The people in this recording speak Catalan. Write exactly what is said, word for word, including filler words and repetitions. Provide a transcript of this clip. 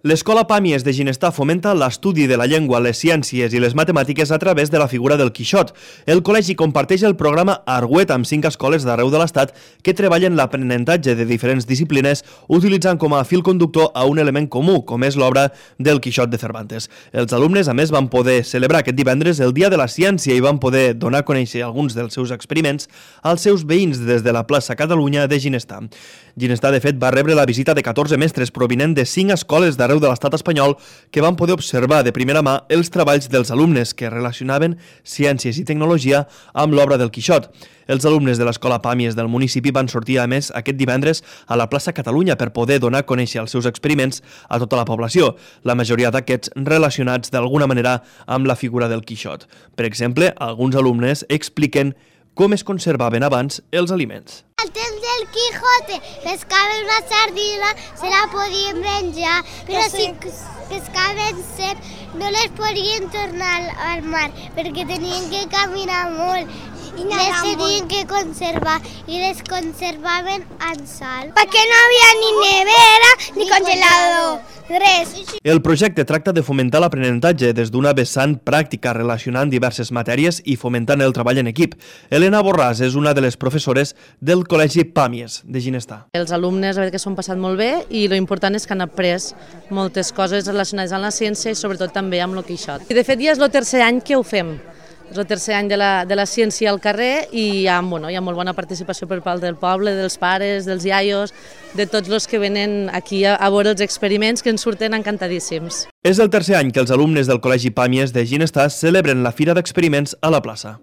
L'Escola Pàmies de Ginestar fomenta l'estudi de la llengua, les ciències i les matemàtiques a través de la figura del Quixot. El col·legi comparteix el programa Argüet amb cinc escoles d'arreu de l'Estat que treballen l'aprenentatge de diferents disciplines utilitzant com a fil conductor a un element comú, com és l'obra del Quixot de Cervantes. Els alumnes, a més, van poder celebrar aquest divendres el Dia de la Ciència i van poder donar a conèixer alguns dels seus experiments als seus veïns des de la plaça Catalunya de Ginestar. Ginestar, de fet, va rebre la visita de catorze mestres provinent de cinc escoles d'arreu de l'estat espanyol que van poder observar de primera mà els treballs dels alumnes que relacionaven ciències i tecnologia amb l'obra del Quixot. Els alumnes de l'Escola Pàmies del municipi van sortir, a més, aquest divendres a la plaça Catalunya per poder donar a conèixer els seus experiments a tota la població, la majoria d'aquests relacionats d'alguna manera amb la figura del Quixot. Per exemple, alguns alumnes expliquen com es conservaven abans els aliments. Al temps del Quijote pescaven una sardina, se la podien menjar, però si pescaven serp no les podien tornar al mar perquè tenien que caminar molt i les tenien que conservar i les conservaven en sal. Perquè no havia ni nevera ni congelador, res. El projecte tracta de fomentar l'aprenentatge des d'una vessant pràctica relacionant diverses matèries i fomentant el treball en equip. Elena Borràs és una de les professores del Col·legi Pàmies de Ginestar. Els alumnes que s'ho han passat molt bé i l'important és que han après moltes coses relacionades amb la ciència i sobretot també amb el Quixot. I de fet ja és el tercer any que ho fem. És el tercer any de la, de la ciència al carrer i hi ha, bueno, hi ha molt bona participació per part del poble, dels pares, dels iaios, de tots els que venen aquí a, a veure els experiments que ens surten encantadíssims. És el tercer any que els alumnes del Col·legi Pàmies de Ginestar celebren la Fira d'Experiments a la plaça.